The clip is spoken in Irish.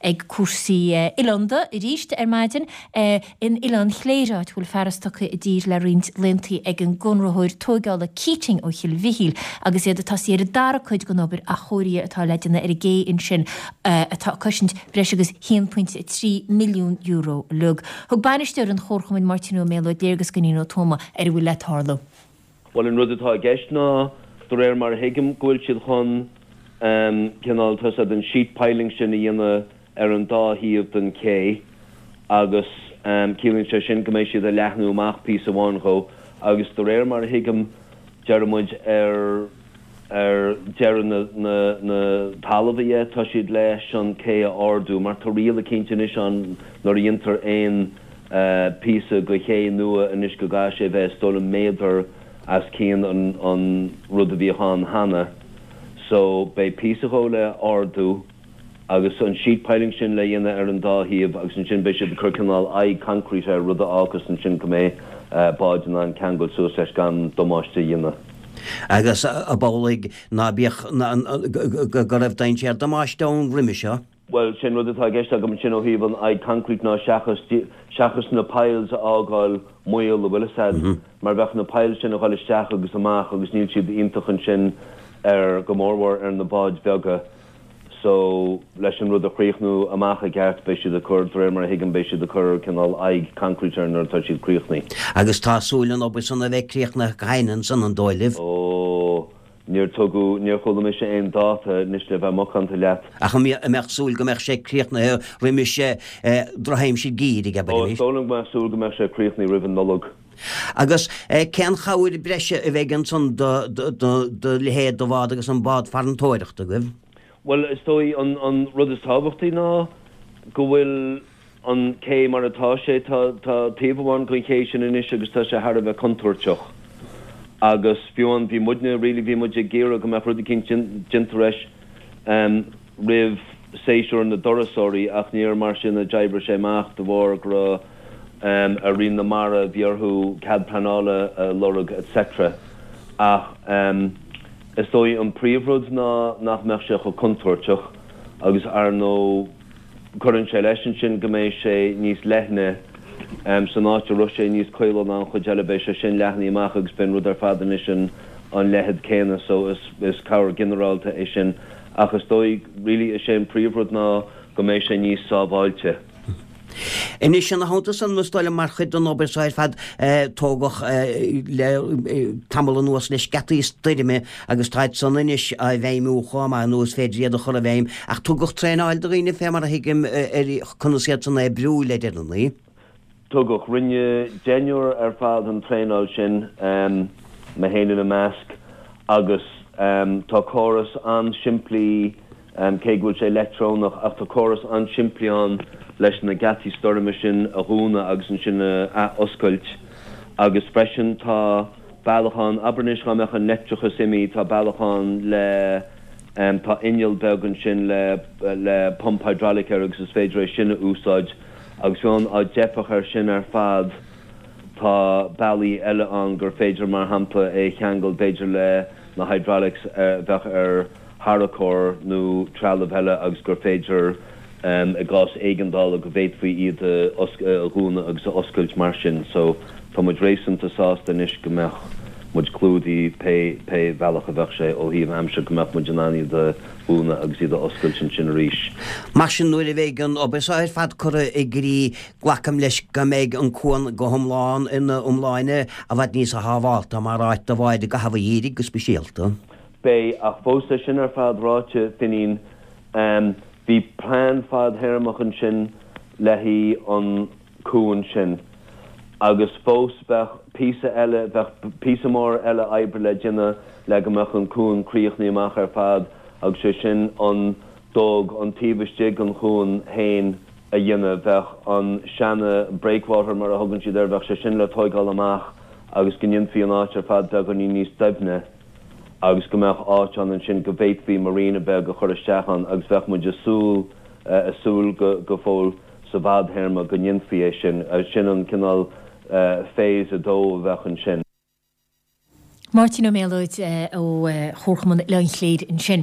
Ag cúrsaí oileánda arís ar maidin in Oileán Chléire, áit a bhfuil fearas tugtha i dtír le roinnt laethanta ag an gconraitheoir tóigeála Keating ó Chill Mhichíl agus iad ag tosaí ar an dara cuid den obair athchóirithe atá le déanamh ar an gcé ansin atá ag cosaint breis agus €1.3 milliún uilig. Thug bainisteoir an Chomharchumainn Máirtín Ó Méalóid léargas do Fhínín Ó Tuama ar a bhfuil le tarlú. Bhuel, an rud atá i gceist ná, de réir mar a thuigim, go bhfuil siad chun cineál, tá a fhios a'd, an sheet piling sin a dhéanamh ar an dá thaobh den ché agus ciallaíonn sé sin go mbeidh siad ag leathnú amach píosa amháin dhó agus de réir mar a thuigim, deir muid ar ar deireadh na na na talamh dhe, tá siad leis an cé a ardú mar tá riail eicínt anois ann nuair a dhéantar aon píosa de ché nua anois go gcaithfidh sé bheith is dóigh liom méadar as cionn an an rud a bhíodh ann cheana so beidh píosa dhó le ardú agus an sheet piling sin le dhéanamh ar an dá thaobh agus ansin beidh siad ag cur cineál aghaidh concrete air rud a fhágfas ansin go mbeidh báid in ann ceangal suas leis gan damáiste a dhéanamh. Agus ab amhlaidh ná bíodh go raibh dainséar damáiste ann roimhe seo? Bhuel, sé'n rud atá i gceist agam ansin ó thaobh an aghaidh concrete ná seachas, seachas na piles a fhágáil maol, a bhfuil fhios a'd, mar bheadh na piles sin a dhul isteach agus amach agus níl siad iontach ansin ar, go mórmhór ar na báid bheaga. So, leis an rud a chríochnú amach i gceart, beidh siad ag cur, de réir mar a thuigim, beidh siad ag cur cineál aghaidh concrete air nuair atá siad críochnaithe. Agus tá súil an obair san a bheith críochnaithe cathain ansan, an dóigh libh? Ó, níor tugadh, níor chuala mise aon dáta anois le bheith macánta leat. Ach an mbeadh súil go mbeadh sé críochnaithe roimis drochaimsir geimhridh, abair Ó, is dóigh liom go mbeadh súil go mbeadh sé críochnaithe roimh an Nollaig. Agus cén chabhair breise a bheidh ansan do leithéid de bhád agus an bád farantóireachta agaibh? Bhuel, is dóigh an rud is tábhachtaí ná go bhfuil an cé mar atá sé. Tá taobh amháin den ché sin anois agus tá sé thar a bheith contúirteach. Agus fiú amháin bhí muidne, really bhí muid ag iarraidh go mbeadh rud eicínt déanta leis roimh séasúr na dturasóirí ach níor mar sin a d'oibrigh sé amach de bharr go raibh ar Roinn na Mara, bhí orthu cead pleanála a lorg etc. Ach is dóigh an príomhrud ná nach mbeadh sé chomh contúirteach agus ar ndóigh cuireann sé leis ansin go mbeidh sé níos leithne san áit a raibh sé níos caola ná an chuid eile, beidh sé sin leathnaithe amach agus beidh an rud ar fad anois an leithead céanna so is cabhair ginearálta é sin ach is dóigh really is é an príomhrud ná go mbeidh sé níos sábháilte. Anois, ina theannta san, is dóigh liom, mar chuid den obair so ar fad, tógadh le tamall anuas leis geataí stoirme agus táid san anois á bhfeidhmiú chomh maith nó is féidir iad a chur i bhfeidhm, ach tugadh traenáil do dhaoine fé mar a thuigim ar conas iad san a oibriú le deireanaí. Tugadh. Rinne deichniúr ar fad an traenáil sin, mé féin ina measc, agus tá córas an-simplí, cé go bhfuil sé leictreonach, ach tá córas an-simplí ann leis na geataí stoirme sin a dhúnadh agus ansin a ath-oscailt. Agus freisin tá bealach ann, abair anois dhá mbeadh an leictreachas imithe, tá bealach ann le, tá inneall beag ansin le le pump hydraulic air agus is féidir é sin a úsáid. Agus fiú amháin dá dteipfeadh air sin ar fad, tá bealaí eile ann gur féidir, mar shampla, é a cheangal b'fhéidir le na hydraulics a bheadh ar tharracóir nó trealamh eile agus gur féidir, i gcás éigeandála, go bhféadfaí iad a dhúnadh agus a oscailt mar sin. So, tá muid réasúnta sásta anois go mbeadh muid clúdaithe pé pé bhealach a bheadh sé ó thaobh aimsire go mbeadh muid in ann iad a dhúnadh agus iad a oscailt ansin arís. Mar sin, nuair a bheidh an obair seo ar fad curtha i gcrích, glacaim leis go mbeidh an cuan go hiomlán ina iomláine i bhfad níosa shábhálta mar áit do bháid i gcaitheamh an gheimhridh go speisialta. Beidh, ach fós é sin ar fad ráite, Finín, bhí plean fadthéarmach ansin le haghaidh an cuan sin agus fós bheadh píosa eile, bheadh píosa mór eile oibre le déanamh le go mbeadh an cuan críochnaithe amach ar fad agus sé sin an dóigh an taobh istigh den chuan fhéin a dhéanamh. Bheadh an seana breakwater mar a thugann siad air, bheadh sé sin le tóigeáil amach agus go ndéanfaí an áit ar fad beagáinín níos doimhne agus go mbeadh áit ann ansin go bhféadfaí marina beag a chur isteach ann agus bheadh muid ag súil, ag súil go fóill sa bhfadthéarma go ndéanfaí é sin. Sin an cineál phase 2 a bheadh ansin. Máirtín Ó Méalóid ó Chomharchumann Oileán Chléire ansin.